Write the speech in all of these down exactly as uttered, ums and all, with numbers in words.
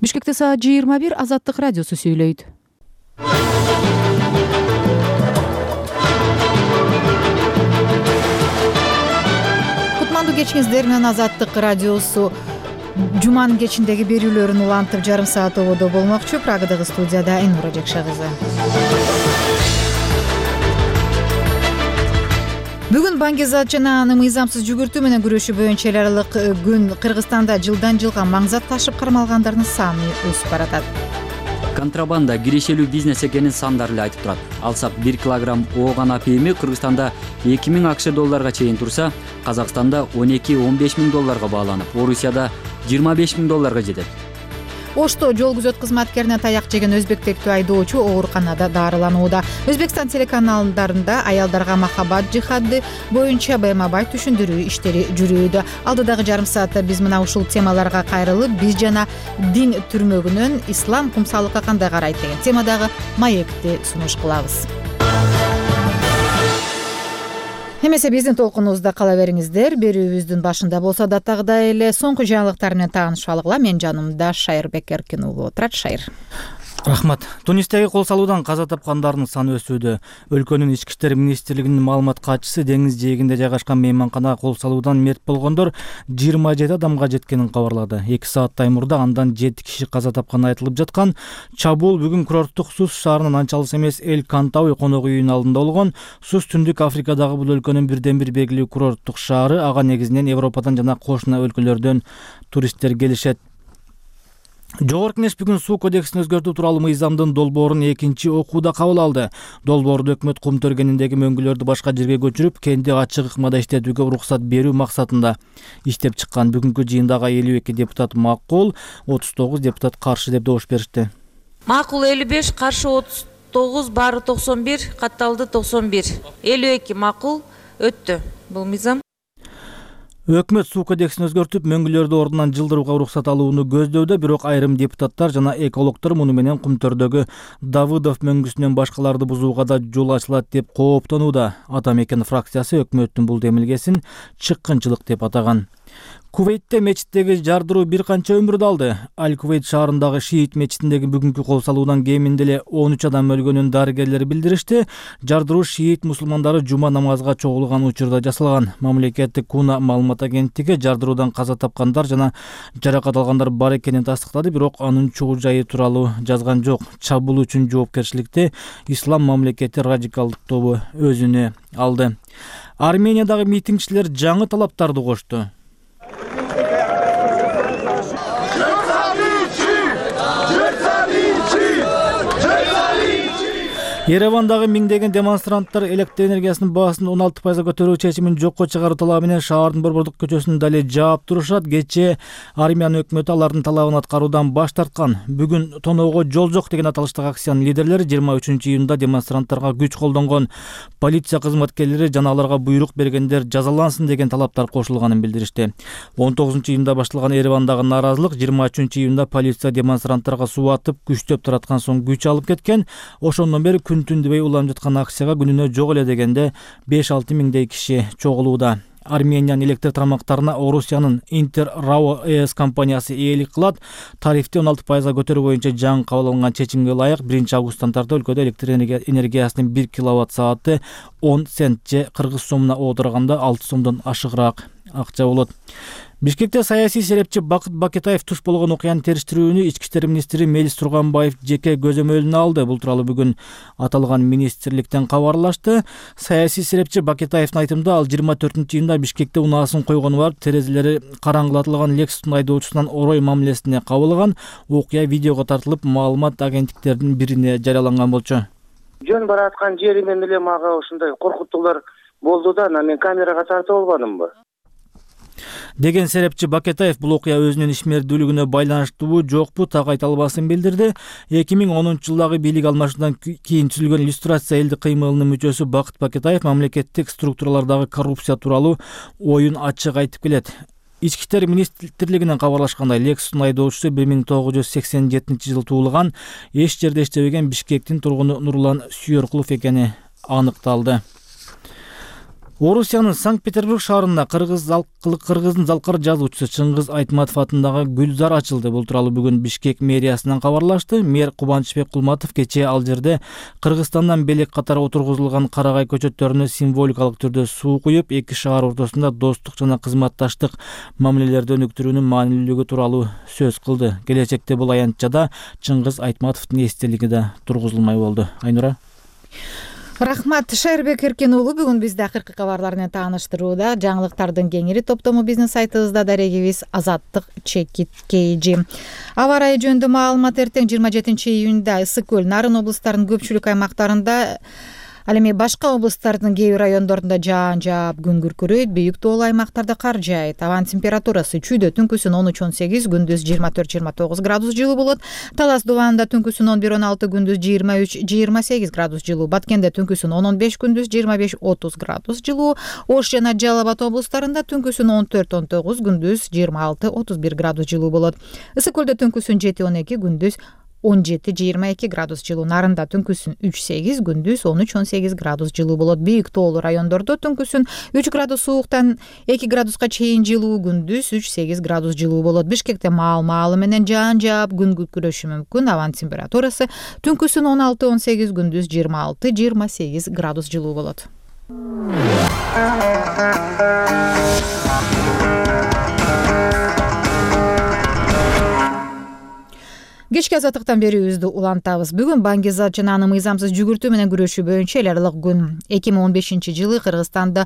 Бишкекте саат жыйырма бир. Азаттык радиосу сүйлөйт. Кутмандуу кечиңиздер менен Азаттык радиосу жуманын кечиндеги берүүлөрүн улантып жарым саат ободо болмокчу. Прагадагы студияда Айнура Жекша кызы. Бүгүн баңгизат жана аны мыйзамсыз жүгүртүү менен күрөшүү боюнча эл аралык күн. Кыргызстанда жылдан жылга маңзат ташып кармалгандардын саны өсүп баратат. Контрабанда кирешелүү бизнес экенин сандар эле айтып турат. Алсак бир килограмм ооган апийими Кыргызстанда эки миң акш долларга чейин турса, Казакстанда он эки он беш миң долларга бааланып, Орусияда жыйырма беш миң долларга жетет. Ошто жол күзөт кызматкерине таяк жеген өзбектектүү айдоочу ооруканада дарыланууда. Өзбекстан телеканалдарында аялдарга махабат жихады боюнча байма бай түшүндүрүү иштери жүрүүдө. Алдыдагы жарым саатта биз мына ушул темаларга кайрылып, биз жана дин түрмөгүнөн ислам кумсалыкка кандай карайт деген темадагы маекти сунуш кылабыз. Эмесе биздин толкунубузда кала бериңиздер. Берүүбүздүн башында болсо даттагыдай эле соңку жаңылыктар менен таанышалыгыла. Мен жанымда Шайырбек Эркин уулу отурат. Шайыр. Рахмат. Тунистеги кол салуудан каза тапкандардын саны өсүүдө. Өлкөнүн ички иштер министрлигинин маалымат катчысы деңиз жээгинде жайгашкан мейманканага кол салуудан мерт болгондор жыйырма жети адамга жеткенин кабарлады. эки сааттай мурда андан жети киши каза тапканы айтылып жаткан. Чабуул бүгүн курорттук Сус шаарынын анча алыс эмес Эль Кантауи конок үйүнүн алдында болгон. Сус түндүк Африкадагы бул өлкөнүн бирден бир белгилүү курорттук шаары. Ага негизинен Европадан жана кошуна өлкөлөрдөн туристтер келишет. Жогорку Кеңеш бүгүн суу кодексин өзгөртүү тууралуу мыйзамдын долбоорун экинчи окууда кабыл алды. Долбоорду өкмөт кум төргениндеги мөңгүлөрдү башка жерге көчүрүп, кенди ачык ыкмада иштетүүгө уруксат берүү максатында иштеп чыккан. Бүгүнкү жыйындагы элүү эки депутат макул, отуз тогуз депутат каршы деп добуш беришти. Макул элүү беш, каршы отуз тогуз, баары токсон бир, катталды токсон бир. элүү эки макул өттү бул мыйзам. Өкмөт суу кодексин өзгөртүп, мөңгүлөрдү ордунан жылдырууга уруксат алууну көздөөдө, бирок айрым депутаттар жана экологдор муну менен Кумтөрдөгү Давыдов мөңгүсүнөн башкаларды бузууга да жол ачылат деп кооптонууда. Ата мекен фракциясы өкмөттүн бул демилгесин чыккынчылык деп атаган. Кувейтте мечиттеги жардыруу бир канча өмүрдү алды. Аль-Кувейт шаарындагы Шиит мечитиндеги бүгүнкү кол салуудан кеминде эле он үч адам өлгөнүн дарыгерлер билдиришти. Жардыруу Шиит мусулмандары жума намазга чогулган учурда жасалган. Мамлекеттик Куна маалымат агенттиги жардыруудан каза тапкандар жана жаракат алгандар бар экенин тастыктады, бирок анын чогуу жайы тууралуу жазган жок. Чабуул үчүн жоопкерчиликти Ислам мамлекети радикалдык тобу өзүнө алды. Армениядагы митингчилер жаңы талаптарды кошту. Еревандагы миңдеген демонстранттар электр энергиясынын баасын он алты пайызга көтөрүү чечимин жокко чыгаруу талабы менен шаардын Борбордук көчөсүн дале жаап турушат. Кечээ Армян өкмөтү алардын талабын аткаруудан баш тарткан. Бүгүн тоноого жол жок деген аталыштагы акциянын лидерлери жыйырма үчүнчү июнда демонстранттарга күч колдонгон. Полиция кызматкерлери жана аларга буйрук бергендер жазалансын деген талаптар кошулганын билдиришти. он тогузунчу июнда башталган Еревандагы нааразылык жыйырма үчүнчү июнда полиция демонстранттарга суу атып, күчтөп тараткан соң күч алып кеткен. Ошондон бери түндүбөй уланып жаткан акцияга күнүнө жок эле дегенде беш алты миңдей киши чогулууда. Армениянын электр тармактарына Орусиянын Интер Рао ЭС компаниясы ээлик кылат. Тарифти он алты пайызга көтөрүү боюнча жаңы кабыл алынган чечимге ылайык биринчи августтан тартып өлкөдө электр энергиясынын бир киловатт сааты он цент же кыргыз сомуна отурганда алты сомдон ашыгыраак акча болот. Бишкекте саясий серепчи Бакыт Бакетаев туш болгон окуяны териштирүүнү ички иштер министри Мелис Турганбаев жеке көзөмөлүнө алды. Бул тууралуу бүгүн аталган министрликтен кабарлашты. Саясий серепчи Бакетаевдин айтымында, ал жыйырма төртүнчү июнда Бишкекте унаасын койгону барып, терезелери караңгылатылган Lexus айдоочусунан орой мамилесине кабылган. Окуя видеого тартылып, маалымат агенттиктердин бирине жарыяланган болчу. Жөн бараткан жеримен эле мага ушундай коркутуулар болду да, мен камерага тартып албадымбы деген серепчи Бакетаев бул окуя өзүнүн ишмердүүлүгүнө байланыштуубу жокпу так айта албасын билдирди. эки миң онунчу жылдагы бийлик алмашуудан кийин түзүлгөн иллюстрация элдик кыймылынын мүчөсү Бакыт Бакетаев мамлекеттик структуралардагы коррупция тууралуу оюн ачык айтып келет. Ички иштер министрлигинен кабарлашкандай, Lexus'ун айдоочусу бир миң тогуз жүз сексен жетинчи жылы туулган, эч жерде иштебеген Бишкектин тургуну Нурлан Сүйөркулов экени аныкталды. Орусиянын Санкт-Петербург шаарында кыргыздын залкар жазуучусу Чыңгыз Айтматов атындагы Гүлзар ачылды. Бул тууралуу бүгүн Бишкек мэриясынан кабарлашты. Мэр Кубанычбек Кулматов кечээ ал жерде Кыргызстандан белек катары отургузулган карагай көчөттөрүнө символикалык түрдө суу куюп, эки шаар ортосунда достук жана кызматташтык мамилелерди өнүктүрүүнүн маанилүүлүгү тууралуу сөз кылды. Келечекте бул аянтчада Чыңгыз Айтматовдун эстелиги да тургузулмай болду. Айнура. Рахмат. Шайырбек Эркен уулу бүгүн бизди акыркы кабарлар менен тааныштырууда. Жаңылыктардын кеңири топтому биздин сайтыбызда, дарегибиз Азаттык чекит kg. Аба ырайы жөнүндө маалымат эртең жыйырма жетинчи июнда Ысык көл, Нарын облустарынын көпчүлүк аймактарында, ал эми башка облустардын кээ бир райондорунда жаан жаап, күн күркүрөйт, бийик тоолуу аймактарда кар жаайт. Абанын температурасы чүйдө түнкүсүн он үч он сегиз, күндүз жыйырма төрт жыйырма тогуз градус жылуу болот. Талас Дубанында түнкүсүн он бир он алты, күндүз жыйырма үч жыйырма сегиз градус жылуу. Баткенде түнкүсүн он он беш, күндүз жыйырма беш отуз градус жылуу. Ош жана Жалал Абад облустарында түнкүсүн он төрт он тогуз, күндүз жыйырма алты отуз бир градус жылуу болот. Ысык көлдө түнкүсүн жети он эки, күндүз он жети жыйырма эки градус жылуу. Нарында түнкүсүн үч сегиз, күндүз он үч он сегиз градус жылуу болот. Бийик тоолуу райондордо түнкүсүн үч градус сууктан эки градуска чейин жылуу, күндүз үч сегиз градус жылуу болот. Бишкекте маал-маалы менен жаан жаап, күн күркүрөшү мүмкүн. Абанын температурасы түнкүсүн он алты он сегиз, күндүз жыйырма алты жыйырма сегиз градус жылуу болот. Кечки азаттыктан берүүбүздү улантабыз. Бүгүн баңгизат жана аны мыйзамсыз жүгүртүү менен күрөшүү боюнча эл аралык күн. эки миң он бешинчи жылы Кыргызстанда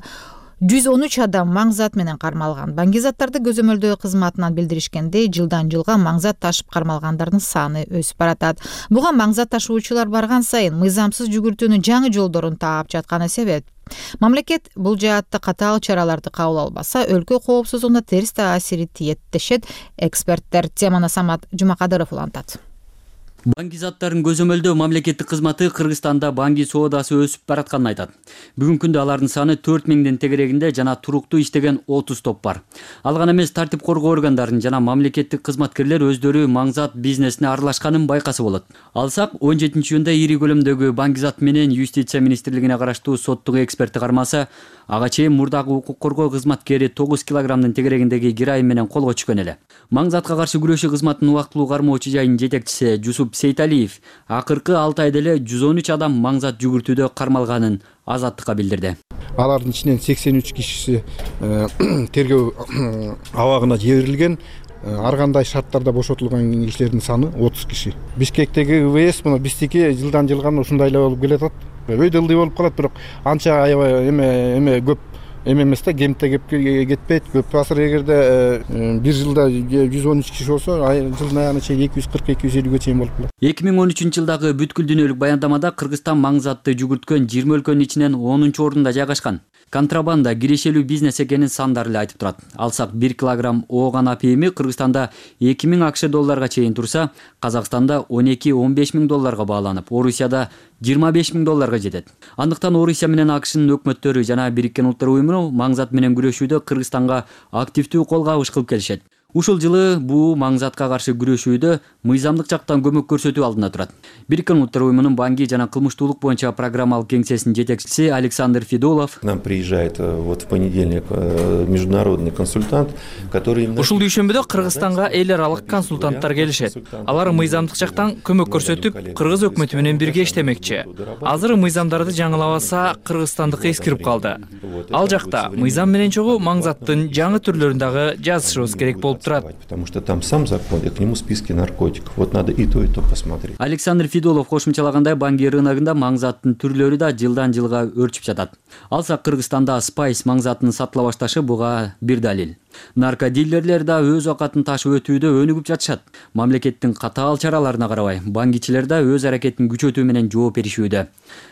жүз он үч адам маңзат менен кармалган. Баңгизаттарды көзөмөлдөө кызматынан билдиришкендей, жылдан жылга маңзат ташып кармалгандардын саны өсүп баратат. Буга маңзат ташуучулар барган сайын мыйзамсыз жүгүртүүнүн жаңы жолдорун таап жатканы себеп. Мамлекет бул жаатта катаал чараларды кабыл албаса, өлкө коопсуздугуна терс таасири тиет дешет эксперттер. Теманы Самат Жумакадыров улантат. Баңгизаттарын көзөмөлдөө мамлекеттик кызматы Кыргызстанда баңги соодасы өсүп баратканын айтат. Бүгүнкү күндө алардын саны төрт миңдин тегерегинде жана туруктуу иштеген отуз топ бар. Ал гана эмес, тартип коргоо органдарын жана мамлекеттик кызматкерлер өздөрү маңзат бизнесине аралашканын байкаса болот. Алсак, он жетинчи июнда ири көлөмдөгү баңгизат менен Юстиция министрлигине караштуу соттук эксперти кармаса, ага чейин мурдагы укук коргоо кызматкери тогуз килограммдын тегерегиндеги героин менен колго түшкөн эле. Маңзатка каршы күрөшүү кызматынын убактылуу кармоочу жайынын жетекчиси Жусуп Сейталиев акыркы алты айда эле жүз он үч адам маңзат жүгүртүүдө кармалганын Азаттыкка билдирди. Алардын ичинен сексен үч кишиси тергөө абагына жиберилген. Ар кандай шарттарда бошотулган кишилердин саны отуз киши. Бишкектеги ВС мына биздики жылдан жылга ушундай эле болуп келатат. Өйдө ылдый болуп калат, бирок анча аябай эме эме көп эме эмес да, кемте кетпейт. Көп азыр эгерде бир жылда жүз он үч киши болсо, жылдын аягына чейин эки жүз кырк эки жүз элүүгө чейин болуп калат. эки миң он үчүнчү жылдагы бүткүл дүйнөлүк баяндамада Кыргызстан маңзатты жүгүрткөн жыйырма өлкөнүн ичинен онунчу орунда жайгашкан. Контрабанда кирешелүү бизнес экенин сандар эле айтып турат. Алсак, бир килограмм ооган апийими Кыргызстанда эки миң акш долларга чейин турса, Казакстанда он эки он беш миң долларга бааланып, Орусияда жыйырма беш миң долларга жетет. Андыктан Орусия менен АКШнын өкмөттөрү жана Бириккен Улуттар уюму маңзат менен күрөшүүдө Кыргызстанга активдүү кол кабыш кылып келишет. Ушул жылы бул маңзатка каршы күрөшүүдө мыйзамдык жактан көмөк көрсөтүү алдында турат. Бириккен Улуттар уюмунун баңги жана кылмыштуулук боюнча программалык кеңсесинин жетекчиси Александр Федулов. К нам приезжает вот в понедельник международный консультант, который Ушул дүйшөмбүдө Кыргызстанга эл аралык консультанттар келишет. Алар мыйзамдык жактан көмөк көрсөтүп, Кыргыз өкмөтү менен бирге иштемекчи. Азыр мыйзамдарды жаңылабаса, Кыргызстандыкы эскирип калды. Ал жакта мыйзам менен чогуу маңзаттын жаңы түрлөрүн дагы жазышыбыз керек болуп турат. Потому что там сам закон, и к нему списки наркотиков. Вот надо и то, и то посмотреть. Александр Федулов кошумчалагандай, баңги рыногунда маңзаттын түрлөрү да жылдан жылга өрчүп жатат. Алсак, Кыргызстанда спайс маңзатынын сатыла башташы буга бир далил. Наркодилерлер да өз акатын ташып өтүүдө өнүгүп жатышат. Мамлекеттин катаал чараларына карабай, баңгичилер да өз аракетин күчөтүү менен жооп беришүүдө.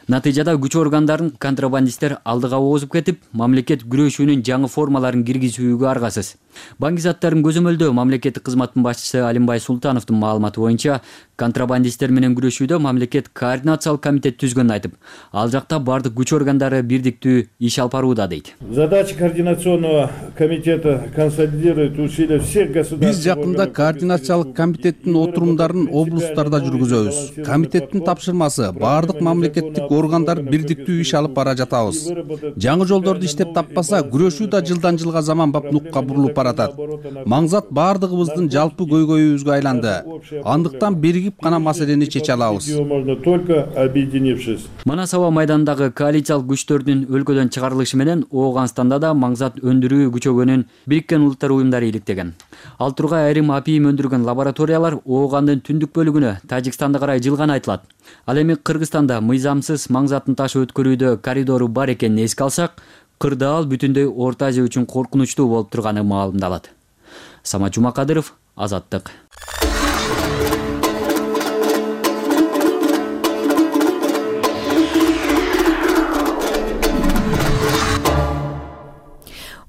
Натыйжада күч органдарын контрабандисттер алдыга озуп кетип, мамлекет күрөшүүнүн жаңы формаларын киргизүүгө аргасыз. Баңгизаттарын көзөмөлдөө мамлекеттик кызматтын башчысы Алимбай Султановдун маалыматы боюнча, контрабандисттер менен күрөшүүдө мамлекет координациялык комитет түзгөнүн айтып, ал жакта бардык күч органдары бирдиктүү иш алып барууда дейт. Задача координационного комитета консолидировать усилия всех государств. Биз жакында координациялык комитеттин отурумдарын облустарда жүргүзөбүз. Комитеттин тапшырмасы баардык мамлекеттик органдар бирдиктүү иш алып бара жатабыз. Жаңы жолдорду иштеп таппаса, күрөшүү да жылдан жылга заманбап нукка бурулуп баратат. Маңзат баардыгыбыздын жалпы көйгөйүбүзгө айланды. Андыктан биригип гана маселени чече алабыз. Манас аба майданындагы коалициялык күчтөрдүн өлкөдөн чыгарылышы менен Ооганстанда да маңзат өндүрүү күчөгөнүн Бириккен Улуттар уюмдары иликтеген. Ал тургай айрым апийим өндүргөн лабораториялар Оогандын түндүк бөлүгүнө Тажикстанга карай жылганы айтылат. Ал эми Кыргызстанда мыйзамсыз маңзатын ташып өткөрүүдө коридору бар экенин эске алсак, кырдаал ал бүтүндөй Орто Азия үчүн коркунучтуу болуп турганы маалымдалат. Самат Жумакадыров, Азаттык.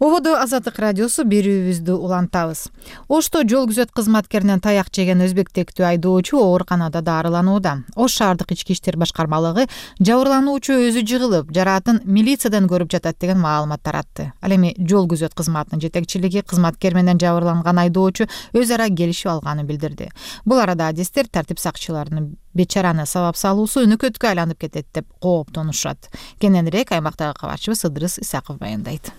Ободо Азаттык радиосу берүүбүздү улантабыз. Ошто жол күзөт кызматкеринен таяк жеген өзбек тектүү айдоочу ооруканада дарыланууда. Ош шаардык ички иштер башкармалыгы жабырлануучу өзү жыгылып, жараатын милициядан көрүп жатат деген маалымат таратты. Ал эми жол күзөт кызматынын жетекчилиги кызматкер менен жабырланган айдоочу өз ара келишип алганын билдирди. Бул арада адистер тартип сакчыларынын бечараны сабап салуусу өнөкөткө айланып кетет деп кооптонушат. Кененирээк аймактагы кабарчыбыз Ыдырыс Исаков баяндайт.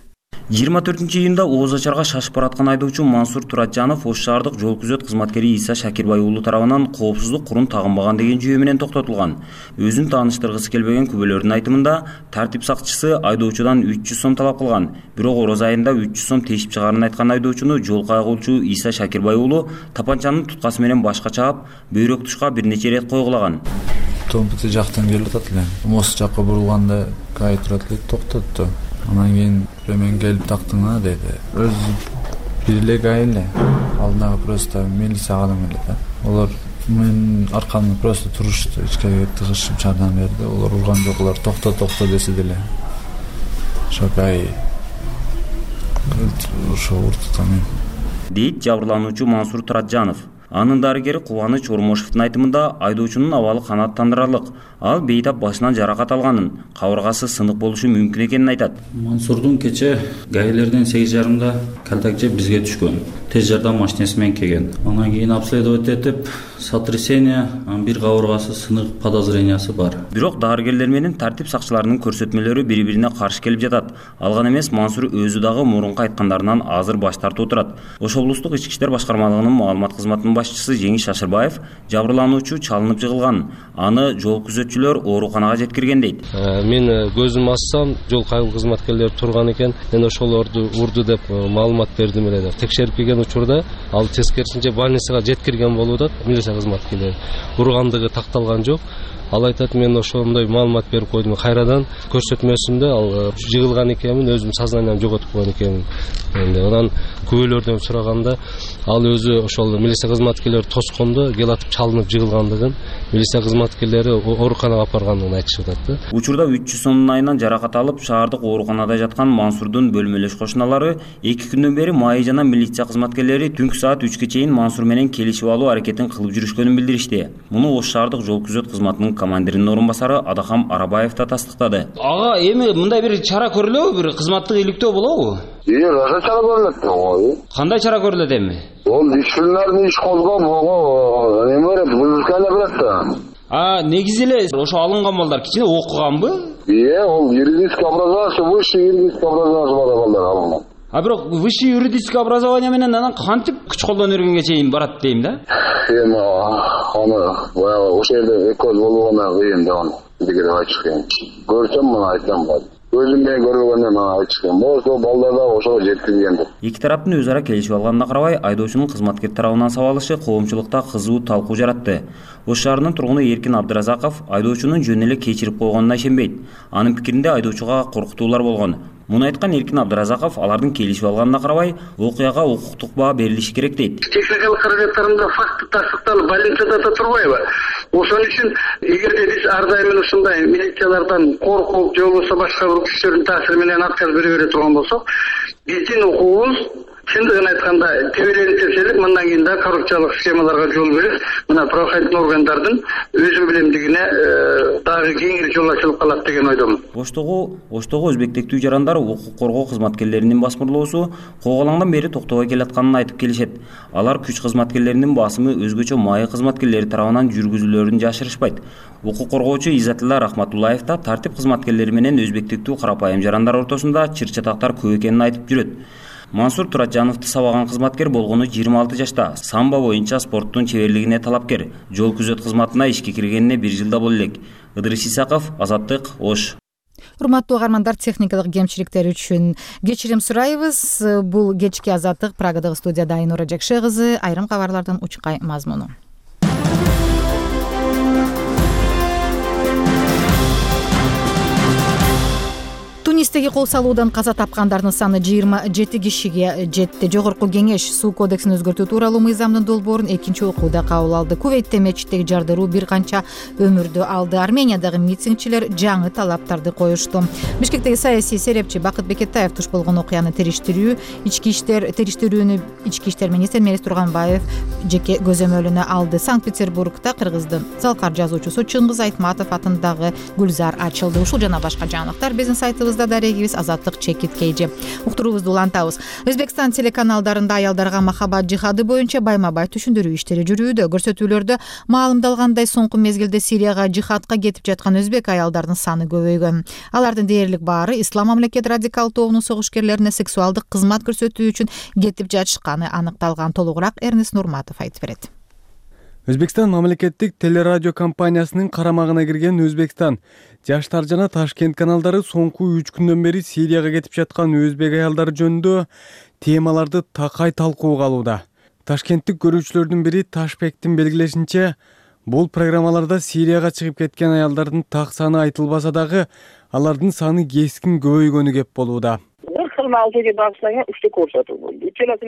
жыйырма төртүнчү июнда Ооз Ачарга шашып бараткан айдоочу Мансур Туратжанов Ош шаардык жол күзөт кызматкери Иса Шакирбай уулу тарабынан коопсуздук курун тагынбаган деген жүйө менен токтотулган. Өзүн тааныштыргысы келбеген күбөлөрдүн айтымында тартип сакчысы айдоочудан үч жүз сом талап кылган. Бирок ороз айында үч жүз сом тешип чыгаарын айткан айдоочуну жол кайгылчу Иса Шакирбай уулу тапанчанын туткасы менен башка чаап, бөйрөк тушка бир нече ирет койгулаган. Томпути жактан келип атат эле. Мост жакка бурулганда кай турат эле токтотту. Анан кийин мен келип тактыңа деди. Өзү бир эле гай эле. Алдына просто милиция адам эле да. Олар мен аркамды просто турушту, ичкерге тыгышып жардам берди. Олар урган жок, олар токто токто десе деле. Ошо гай ошо уртта мен. Дейт жабырлануучу Мансур Туратжанов. Анын дарыгери Кубаныч Ормошевдун айтымында айдоочунун абалы канааттандырарлык. Ал бейтап башынан жаракат алганын, кабыргасы сынык болушу мүмкүн экенин айтат. Мансурдун кече гаилерден сегиз жарымда контакт жеп бизге түшкөн. Тез жардам машинеси менен келген. Анан кийин обследовать этип, сотрясение, бир кабыргасы сынык подозрениясы бар. Бирок дарыгерлер менен тартип сакчыларынын көрсөтмөлөрү бири-бирине каршы келип жатат. Алган эмес, Мансур өзү дагы мурунку айткандарынан азыр баш тартып отурат. Ош облустук ички иштер башкармалыгынын маалымат кызматынын башчысы Жеңиш Шашырбаев жабырлануучу чалынып жыгылган. Аны жол күзөтчүлөр ооруканага жеткирген дейт. Мен көзүмдү ачсам, жол кайгыл кызматкерлери турган экен. Мен ошолорду урду деп маалымат бердим эле деп. Текшерип келген учурда ал тескерисинче больницага жеткирген болуп атат. Милиция кызматкерлери ургандыгы такталган жок. Ал айтат, мен ошондой маалымат берип койдум. Кайрадан көрсөтмөсүндө ал жыгылган экенмин, өзүм сознаниямды жоготуп койгон экенмин. Энди анан күбөлөрдөн сураганда ал өзү ошол милиция кызматкерлери тоскондо келатып чалынып жыгылгандыгын, милиция кызматкерлери ооруканага алып баргандыгын айтышып атат. Учурда үч жүз сомдун айынан жаракат алып, шаардык ооруканада жаткан Мансурдун бөлмөлөш кошуналары эки күндөн бери майы жана милиция кызматкерлери түнкү саат үчкө чейин Мансур менен келишип алуу аракетин кылып жүрүшкөнүн билдиришти. Муну Ош шаардык жол күзөт кызматынын командиринин орун басары Адахам Арабаев да тастыктады. Ага, эми мындай бир чара көрүлөбү, бир кызматтык иликтөө болобу? Ие, ошо чара көрүлөт го. Кандай чара көрүлөт эми? Ол дисциплинарный иш козгоп, эме берет, бузукана берет да. А, негизи эле ошо алынган балдар кичине окуганбы? Ие, ол юридический образование, высшее юридическое образование бар балдар алынган. А бирок высшее юридическое образование менен анан кантип күч колдонуп өргөнгө чейин барат дейм да? Эми аны баягы ошол жерде экөөбүз болгондон кыйын да аны. Бизге деп айтышкан. Көрсөм мына айтсам болот. Өзүм менен көргөндөн мына айтышкан. Ошол балдар да ошого жеткиргендир. Эки тараптын өз ара келишип алганына карабай, айдоочунун кызматкер тарабынан сабалышы коомчулукта кызуу талкуу жаратты. Ош шаарынын тургуну Эркин Абдыразаков айдоочунун жөн эле кечирип койгонуна ишенбейт. Анын пикиринде айдоочуга коркутуулар болгон. Муну айткан Эркин Абдыразаков алардын келишип алганына карабай, окуяга укуктук баа берилиши керек дейт. Техникалык каражаттарында факты тастыкталып, больницада да турбайбы? Ошон үчүн эгерде биз ар дайым ушундай милициялардан коркуп, же болбосо башка бир күчтөрдүн таасири менен отказ бере бере турган болсок, биздин укугубуз чындыгын айтканда тебелентирселик мындан кийин да коррупциялык схемаларга жол берип мына правоохранительный органдардын өзү билемдигине дагы кеңири жол ачылып калат деген ойдомун. Оштогу Оштогу өзбек тектүү жарандар укук коргоо кызматкерлеринин басмырлоосу коогалаңдан бери токтобой келатканын айтып келишет. Алар күч кызматкерлеринин басымы өзгөчө майы кызматкерлери тарабынан жүргүзүлөөрүн жашырышпайт. Укук коргоочу Иззатилла Рахматуллаев да тартип кызматкерлери менен өзбек тектүү карапайым жарандар ортосунда чыр-чатактар көп экенин айтып жүрөт. Мансур Туратжановду сабаган кызматкер болгону жыйырма алты жашта, самбо боюнча спорттун чеберлигине талапкер. Жол күзөт кызматына ишке киргенине бир жылда боло элек. Ыдырыс Исаков, Азаттык, Ош. Урматтуу угармандар, техникалык кемчиликтер үчүн кечирим сурайбыз. Бул кечки Азаттык, Прагадагы студияда Айнура Жакшы кызы. Айрым кабарлардын учкай мазмуну. Тунистеги кол салуудан каза тапкандардын саны жыйырма жети кишиге жетти. Жогорку кеңеш суу кодексин өзгөртүү тууралуу мыйзамдын долбоорун экинчи окууда кабыл алды. Кувейтте мечиттеги жардыруу бир канча өмүрдү алды. Армениядагы митингчилер жаңы талаптарды коюшту. Бишкектеги саясий серепчи Бакыт Бекетаев туш болгон окуяны териштирүү ички иштер териштирүүнү ички иштер министри Мелис Турганбаев жеке көзөмөлүнө алды. Санкт-Петербургда кыргыздын залкар жазуучусу Чыңгыз Айтматов атындагы гүлзар ачылды. Ушул жана башка жаңылыктар биздин сайтыбызда дарегибиз азаттык чекит кейжи. Уктуруубузду улантабыз. Өзбекстан телеканалдарында аялдарга махабат жихады боюнча байма-бай түшүндүрүү иштери жүрүүдө. Көрсөтүүлөрдө маалымдалгандай соңку мезгилде Сирияга жихадка кетип жаткан өзбек аялдардын саны көбөйгөн. Алардын дээрлик баары Ислам мамлекет радикал тобунун согушкерлерине сексуалдык кызмат көрсөтүү үчүн кетип жатышканы аныкталган. Толугураак Эрнест Нурматов айтып берет. Өзбекстан мамлекеттик телерадио компаниясынын карамагына кирген Өзбекстан Жаштар жана Ташкент каналдары соңку үч күндөн бери Сирияга кетип жаткан өзбек аялдары жөнүндө темаларды такай талкууга алууда. Ташкенттик көрүүчүлөрдүн бири Ташбектин белгилешинче, бул программаларда Сирияга чыгып кеткен аялдардын так саны айтылбаса дагы, алардын саны кескин көбөйгөнү кеп болууда.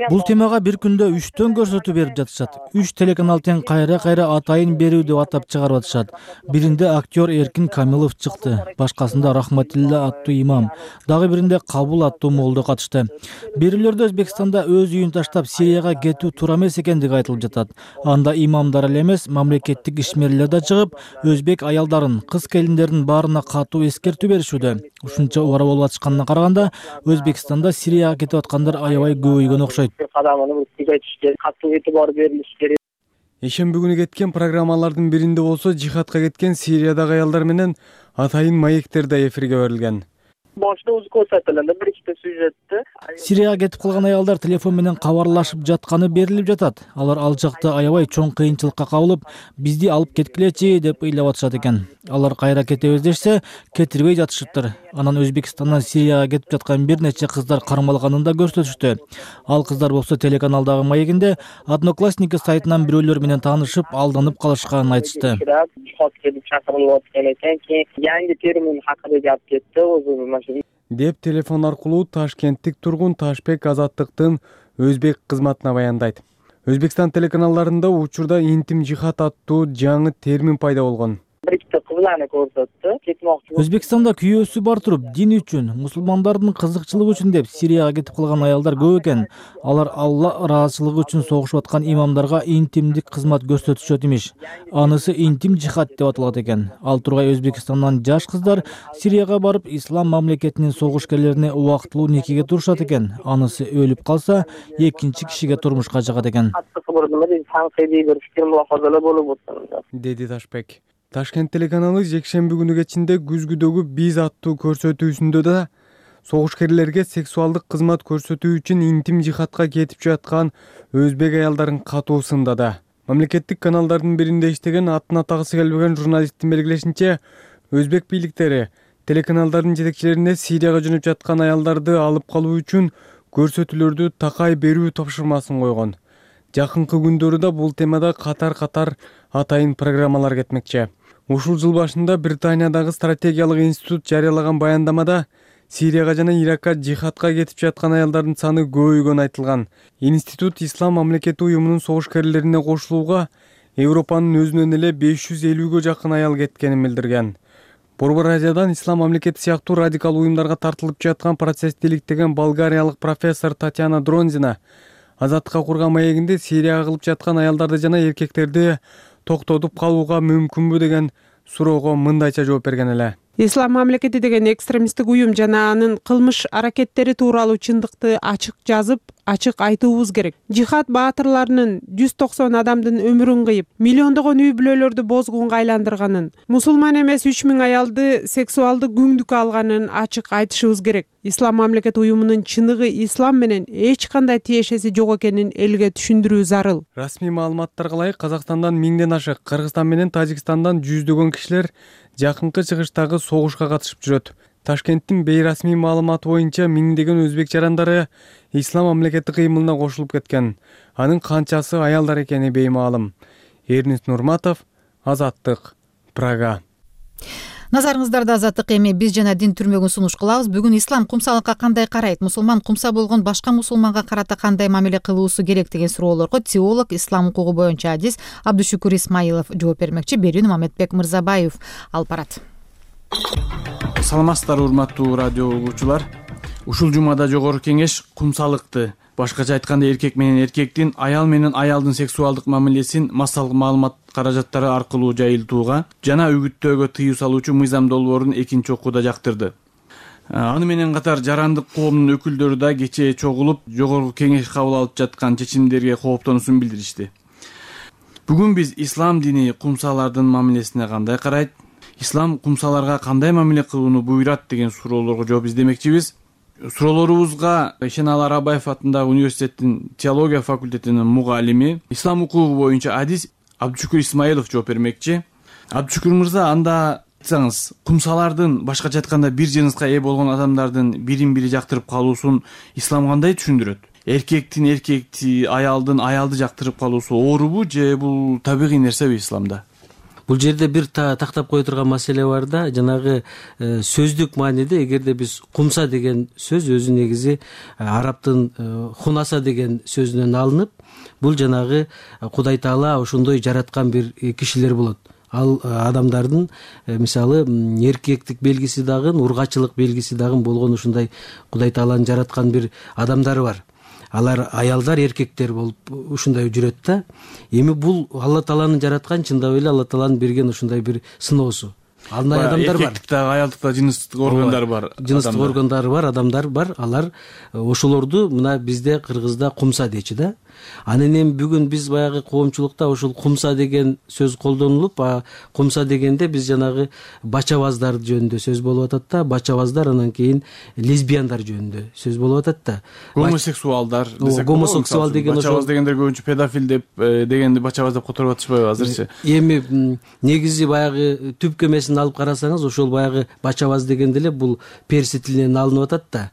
Бул темага бир күндө үчтөн көрсөтүү берип жатышат. Үч телеканал тең кайра-кайра атайын берүү деп атап чыгарып атышат. Биринде актер Эркин Камилов чыкты, башкасында Рахматилла аттуу имам, дагы биринде Кабул аттуу молдо катышты. Бирилерде Өзбекстанда өз үйүн таштап Сирияга кетүү туура эмес экендиги айтылып жатат. Анда имамдар эле эмес, мамлекеттик ишмерлер да чыгып, өзбек аялдарын, кыз келиндердин баарына катуу эскертүү беришүүдө. Ушунча убара болуп атышканына караганда, Өзбекстанда Сирияга кетип аткандар аябай көбөйгөн окшойт. Ишемби күнү кеткен программалардын биринде болсо жихадка кеткен Сириядагы аялдар менен атайын маектер да эфирге берилген. Сирияга кетип калган аялдар телефон менен кабарлашып жатканы берилип жатат. Алар ал жакта аябай чоң кыйынчылыкка кабылып, бизди алып кеткилечи деп ыйлап атышат экен. Алар кайра кетебиз дешсе, кетирбей жатышыптыр. Анан Өзбекстандан Сирияга кетип жаткан бир нече кыздар кармалганын да көрсөтүштү. Ал кыздар болсо телеканалдагы маегинде Одноклассники сайтынан бирөөлөр менен таанышып, алданып калышканын айтышты. Деп телефон аркылуу ташкенттик тургун Ташбек Азаттыктын өзбек кызматына баяндайт. Өзбекстан телеканалдарында учурда интим жихад аттуу жаңы термин пайда болгон. Өзбекстанда күйөөсү бар туруп, дин үчүн, мусулмандардын кызыкчылыгы үчүн деп Сирияга кетип калган аялдар көп экен. Алар Алла ыраазычылыгы үчүн согушуп аткан имамдарга интимдик кызмат көрсөтүшөт имиш. Анысы интим жихад деп аталат экен. Ал тургай Өзбекстандан жаш кыздар Сирияга барып, Ислам мамлекетинин согушкерлерине убактылуу никеге турушат экен. Анысы өлүп калса, экинчи кишиге турмушка жагат экен. Деди Ташбек. Ташкент телеканалы жекшемби күнү кечинде күзгүдөгү биз аттуу көрсөтүүсүндө да согушкерлерге сексуалдык кызмат көрсөтүү үчүн интим жихадка кетип жаткан өзбек аялдарын катуу сындады. Мамлекеттик каналдардын биринде иштеген атын атагысы келбеген журналисттин белгилешинче, өзбек бийликтери телеканалдардын жетекчилерине Сирияга жөнөп жаткан аялдарды алып калуу үчүн көрсөтүүлөрдү такай берүү тапшырмасын койгон. Жакынкы күндөрү бул темада катар-катар атайын программалар кетмекчи. Ушул жыл башында Британиядагы стратегиялык институт жарыялаган баяндамада Сирияга жана Иракка жихадка кетип жаткан аялдардын саны көбөйгөнү айтылган. Институт Ислам мамлекети уюмунун согушкерлерине кошулууга Европанын өзүнөн эле беш жүз элүүгө жакын аял кеткенин билдирген. Борбор Азиядан ислам мамлекети сыяктуу радикал уюмдарга тартылып жаткан процессти иликтеген болгариялык профессор Татьяна Дронзина азаттыкка курган маегинде Сирияга кылып жаткан аялдарды жана эркектерди токтотуп калууга мүмкүнбү деген суроого мындайча жооп берген эле. Ислам мамлекети деген экстремисттик уюм жана анын кылмыш аракеттери тууралуу чындыкты ачык жазып, ачык айтуубуз керек. Жихад баатырларынын жүз токсон адамдын өмүрүн кыйып, миллиондогон үй бүлөлөрдү бозгунга айландырганын, мусулман эмес үч миң аялды сексуалдык күңдүккө алганын ачык айтышыбыз керек. Ислам мамлекети уюмунун чыныгы ислам менен эч кандай тиешеси жок экенин элге түшүндүрүү зарыл. Расмий маалыматтарга ылайык Казакстандан миңден ашык, Кыргызстан менен Тажикстандан жүздөгөн кишилер жакынкы чыгыштагы согушка катышып жүрөт. Ташкенттин бейрасмий маалыматы боюнча миңдеген өзбек жарандары ислам мамлекети кыймылына кошулуп кеткен. Анын канчасы аялдар экени беймаалым. Эрнис Нурматов, Азаттык, Прага. Назарыңыздарда Азаттык, эми биз жана дин түрмөгүн сунуш кылабыз. Бүгүн ислам кумсалыкка кандай карайт? Мусулман кумса болгон башка мусулманга карата кандай мамиле кылуусу керек деген суроолорго теолог, ислам укугу боюнча адис Абдушукур Исмаилов жооп бермекчи. Берүүнү Мамедбек Мырзабаев алып барат. Саламатсыздарбы, урматтуу радио угуучулар. Ушул жумада жогорку кеңеш кумсалыкты, башкача айтканда эркек менен эркектин, аял менен аялдын сексуалдык мамилесин массалык маалымат каражаттары аркылуу жайылтууга жана үгүттөөгө тыюу салуучу мыйзам долбоорун экинчи окууда жактырды. Аны менен катар жарандык коомдун өкүлдөрү да кечээ чогулуп, жогорку кеңеш кабыл алып жаткан чечимдерге кооптонуусун билдиришти. Бүгүн биз ислам дини кумсалардын мамилесине кандай карайт, ислам кумсаларга кандай мамиле кылууну буйрат деген суроолорго жооп издемекчибиз. Суроолорубузга Шенал Арабаев атындагы университеттин теология факультетинин мугалими, ислам укугу боюнча адис Абдушукур Исмаилов жооп бермекчи. Абдушукур мырза, анда айтсаңыз, кумсалардын, башкача айтканда бир жыныска ээ болгон адамдардын бирин бири жактырып калуусун ислам кандай түшүндүрөт? Эркектин эркекти, аялдын аялды жактырып калуусу оорубу же бул табигый нерсеби исламда? Бул жерде бир тактап кое турган маселе бар да, жанагы сөздүк мааниде эгерде биз кумса деген сөз өзү негизи арабтын хунаса деген сөзүнөн алынып, бул жанагы Кудай Таала ошондой жараткан бир кишилер болот. Ал адамдардын мисалы эркектик белгиси дагы, ургачылык белгиси дагы болгон ушундай Кудай Тааланын жараткан бир адамдары бар. Алар аялдар, эркектер болуп ушундай жүрөт да. Эми бул Алла Тааланын жараткан, чындап эле Алла Тааланын берген ушундай бир сыноосу. Андай адамдар бар. Эркектикте, аялдыкта жыныстык органдар бар. Жыныстык органдары бар, адамдар бар. Алар ошолорду мына бизде Кыргызда кумса дейчи да. Анан эми бүгүн биз баягы коомчулукта ушул кумса деген сөз колдонулуп, кумса дегенде биз жанагы бачабаздар жөнүндө сөз болуп атат да, бачабаздар, анан кийин лесбияндар жөнүндө сөз болуп атат да. Гомосексуалдар десек, гомосексуал деген бачабаз дегендер көбүнчө педофил деп дегенди бачабаз деп которуп атышпайбы азырчы? Эми негизи баягы түп кемесин алып карасаңыз, ошол баягы бачабаз дегенде эле бул перси тилинен алынып атат да.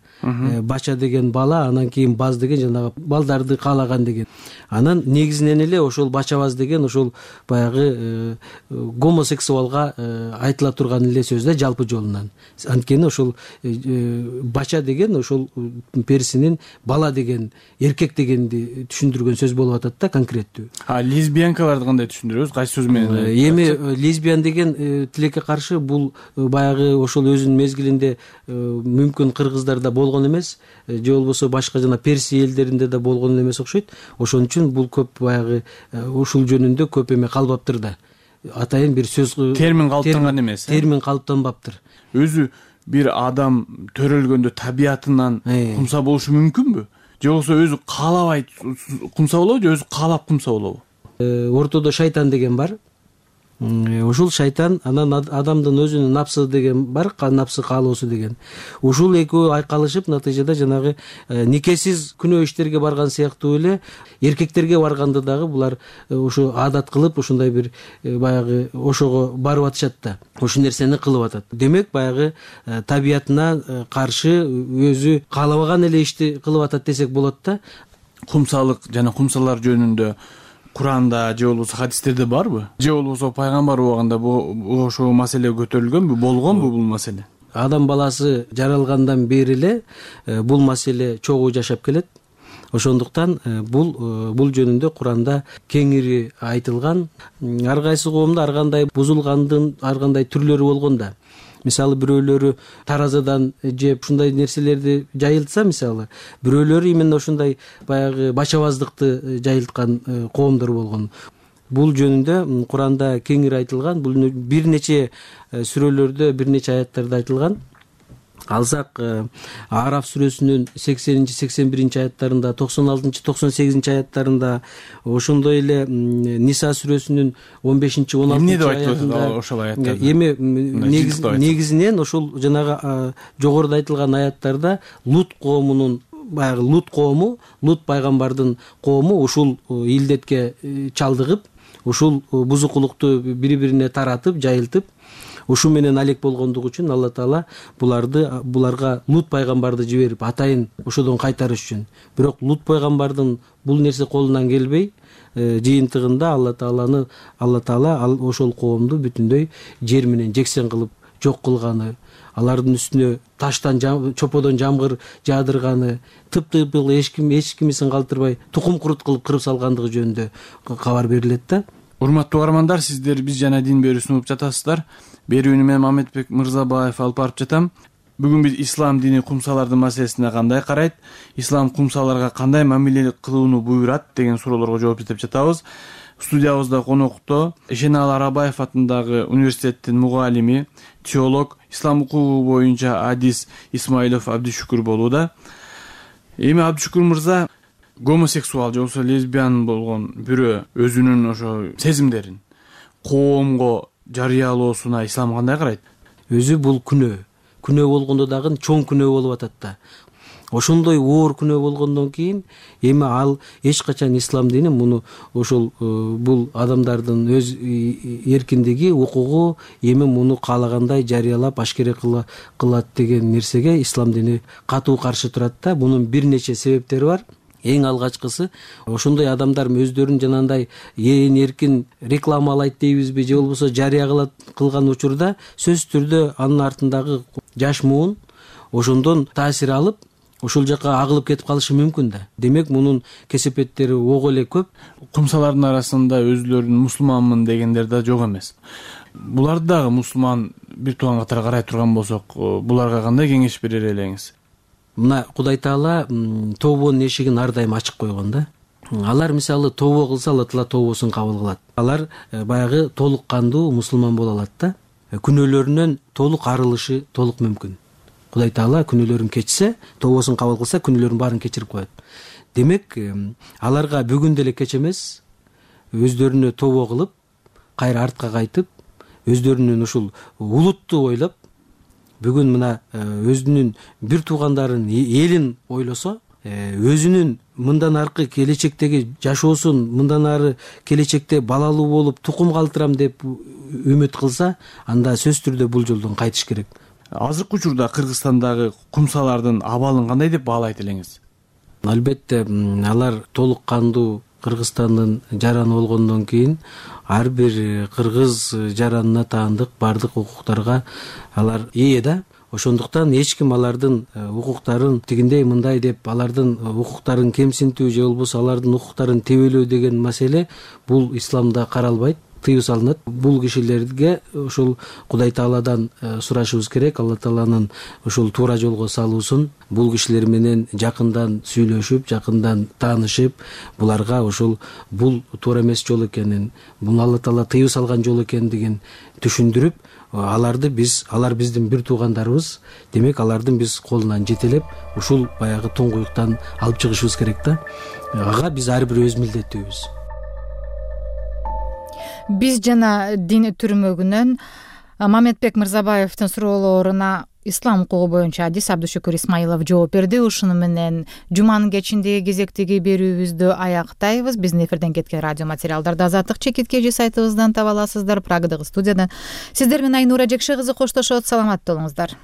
Бача деген бала, анан кийин баз деген жанагы балдарды каалаган деген. Анан негизинен эле ошол бачабаз деген ошол баягы гомосексуалга айтыла турган эле сөз да, жалпы жолунан. Анткени ошол бача деген ошол персинин бала деген, эркек дегенди түшүндүргөн сөз болуп атат да, конкреттүү. А лесбиянкаларды кандай түшүндүрөбүз? Кайсы сөз менен? Эми лесбиян деген тилекке каршы бул баягы ошол өзүнүн мезгилинде мүмкүн кыргыздарда болгон эмес, же болбосо башка жана перси элдеринде да болгон эмес окшойт. Ошон үчүн бул көп баягы ушул жөнүндө көп эме калбаптыр да. Атайын бир сөз термин калыптанган эмес. Термин калыптанбаптыр. Өзү бир адам төрөлгөндө табиятынан кумса болушу мүмкүнбү? Же болбосо өзү каалабай кумса болобу, же өзү каалап кумса болобу? Ортодо шайтан деген бар. Ушул шайтан, анан адамдын өзүнүн напсы деген бар, напсы каалоосу деген. Ушул экөө айкалышып, натыйжада жанагы никесиз күнөө иштерге барган сыяктуу эле эркектерге барганда дагы булар ушу адат кылып, ушундай бир баягы ошого барып атышат да. Ушул нерсени кылып атат. Демек баягы табиятына каршы өзү каалабаган эле ишти кылып атат десек болот да. Кумсалык жана кумсалар жөнүндө Куранда же болбосо хадистерде барбы? Же болбосо пайгамбар убагында бул ошол маселе көтөрүлгөнбү, болгонбу бул маселе? Адам баласы жаралгандан бери эле бул маселе чогуу жашап келет. Ошондуктан бул бул жөнүндө Куранда кеңири айтылган. Ар кайсы коомдо ар кандай бузулгандын ар кандай түрлөрү болгон да. мисалы бирөөлөрү таразадан жеп ушундай нерселерди жайылтса, мисалы бирөөлөрү именно ушундай баягы бачабаздыкты жайылткан коомдор болгон. Бул жөнүндө Куранда кеңири айтылган, бул бир нече сүрөлөрдө, бир нече аяттарда айтылган. Алсак Араф сүрөсүнүн сексенинчи сексен биринчи аяттарында, токсон алтынчы токсон сегизинчи аяттарында, ошондой эле Ниса сүрөсүнүн он бешинчи он алтынчы аятында ошол аяттарда эми негизинен ошол жанагы жогоруда айтылган аяттарда Лут коомунун, баягы Лут коому, Лут пайгамбардын коому ушул илдетке чалдыгып, ушул бузукулукту бири-бирине таратып, жайылтып, ушу менен алек болгондугу үчүн Алла Таала буларды буларга Лут пайгамбарды жиберип атайын ошодон кайтарыш үчүн. Бирок Лут пайгамбардын бул нерсе колунан келбей, жыйынтыгында Алла Тааланы Алла Таала ошол коомду бүтүндөй жер менен жексен кылып жок кылганы, алардын үстүнө таштан, чоподон жамгыр жаадырганы, тып-тыйпыл эч ким эч кимисин калтырбай тукум курут кылып кырып салгандыгы жөнүндө кабар берилет да. Урматтуу угармандар, сиздер биз жана дин берүүсүн угуп жатасыздар. Берүүнү мен Мамедбек Мырзабаев алып барып жатам. Бүгүн биз ислам дини кумсалардын маселесине кандай карайт, ислам кумсаларга кандай мамиле кылууну буйрат деген суроолорго жооп издеп жатабыз. Студиябызда конокто Эшеналы Арабаев атындагы университеттин мугалими, теолог, ислам укугу боюнча адис Исмаилов Абдишүкүр болууда. Эми Абдишүкүр мырза, гомосексуал же болбосо лесбиян болгон бирөө өзүнүн ошо сезимдерин коомго жарыялоосуна ислам кандай карайт? Өзү бул күнөө. Күнөө болгондо дагы чоң күнөө болуп атат да. Ошондой оор күнөө болгондон кийин эми ал эч качан ислам дини муну ошол бул адамдардын өз эркиндиги, укугу, эми муну каалагандай жарыялап ашкере кылат деген нерсеге ислам дини катуу каршы турат да. Мунун бир нече себептери бар. Эң алгачкысы, ошондой адамдар өздөрүн жанагындай эрин эркин рекламалайт дейбизби, же болбосо жарыя кылган учурда сөзсүз түрдө анын артындагы жаш муун ошондон таасир алып, ошол жака агылып кетип калышы мүмкүн да. Демек, мунун кесепеттери ого эле көп. Кумсалардын арасында өзүлөрүн мусулманмын дегендер да жок эмес. Буларды дагы мусулман бир тууган катары карай турган болсок, буларга кандай кеңеш берер элеңиз? Мына Кудай Таала тобонун эшигин ар дайым ачык койгон да. Алар мисалы тобо кылса, Алла Таала тобосун кабыл кылат. Алар баягы толук кандуу мусулман боло алат да. Күнөөлөрүнөн толук арылышы толук мүмкүн. Кудай Таала күнөөлөрүн кечсе, тобосун кабыл кылса, күнөөлөрүн баарын кечирип коет. Демек, аларга бүгүн деле кеч эмес, өздөрүнө тобо кылып, кайра артка кайтып, өздөрүнүн ушул улутту ойлоп, бүгүн мына өзүнүн бир туугандарын, элин ойлосо, өзүнүн мындан аркы келечектеги жашоосун, мындан ары келечекте балалуу болуп тукум калтырам деп үмүт кылса, анда сөзсүз түрдө бул жолдон кайтыш керек. Азыркы учурда Кыргызстандагы кумсалардын абалын кандай деп баалайт элеңиз? Албетте, алар толук кандуу Кыргызстандын жараны болгондон кийин ар бир кыргыз жаранына таандык бардык укуктарга алар ээ да. Ошондуктан эч ким алардын укуктарын тигиндей мындай деп алардын укуктарын кемсинтүү же болбосо алардын укуктарын тебелөө деген маселе бул исламда каралбайт, тыюу салынат. Бул кишилерге ошол Кудай Тааладан сурашыбыз керек, Алла Тааланын ошол туура жолго салуусун, бул кишилер менен жакындан сүйлөшүп, жакындан таанышып, буларга ошол бул туура эмес жол экенин, бул Алла Таала тыюу салган жол экендигин түшүндүрүп, аларды биз, алар биздин бир туугандарыбыз, демек алардын биз колунан жетелеп, ушул баягы туңгуюктан алып чыгышыбыз керек да. Ага биз ар бир өз милдеттүүбүз. Биз жана дин түрмөгүнөн Мамедбек Мырзабаевдин суроолоруна ислам укугу боюнча адис Абдишүкүр Исмаилов жооп берди. Ушуну менен жуманын кечиндеги кезектеги берүүбүздү аяктайбыз. Биздин эфирден кеткен радио материалдарды Азаттык чекит кежи сайтыбыздан таба аласыздар. Прагадагы студиядан сиздер менен Айнура Жекше кызы коштошот. Саламатта болуңуздар.